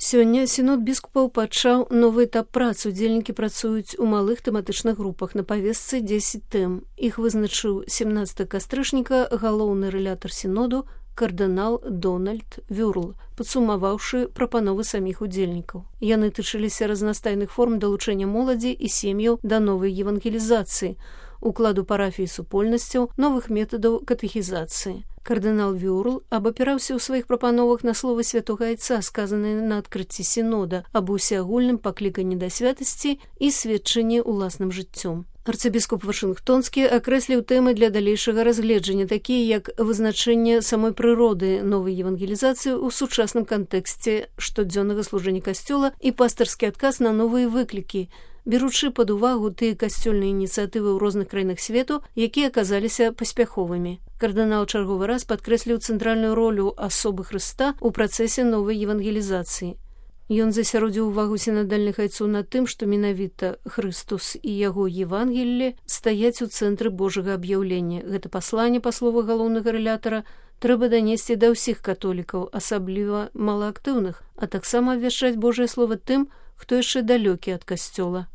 Сёння сінод біскупаў пачаў новы этап працы. Удзельнікі працуюць у малых тэматычных групах. На павестцы 10 тэм. Іх вызначыў 17 кастрычніка галоўны рэлятар сіноду кардынал Дональд Вюрл, падсумаваўшы прапановы саміх удзельнікаў. Яны тычыліся разнастайных форм далучэння моладзі і сем'яў да новай евангелізацыі, укладу парафій супольнасцяў, новых метадаў катэхізацыі. Кардынал Вюрл абапіраўся ў сваіх прапановах на словы святога айца, сказаныя на адкрыцці сінода, аб усеагульным пакліканні да святасці і сведчанні ўласным жыццём. Арцыбіскуп Вашынгтонскі акрэсліў тэмы для далейшага разгледжання, такія як вызначэнне самой прыроды новай евангелізацыі ў сучасным кантэксце штодзённага служэння касцёла і пастырскі адказ на новыя выклікі, беручы пад увагу тыя касцёльныя ініцыятывы ў розных краінах свету, якія аказаліся паспяховымі. Кардынал чарговы раз падкрэсліў цэнтральную ролю асобы Хрыста ў працэсе новай евангелізацыі. Ён засяродзіў увагу сінадальных айцоў на тым, што менавіта Хрыстус і яго Евангелле стаяць у цэнтры Божага аб'яўлення. Гэта пасланне, па словах галоўнага рэлятара, трэба данесці да ўсіх католікаў, асабліва малаактыўных, а таксама абвяшчаць Божае слова тым, хто яшчэ далёкі ад касцёла.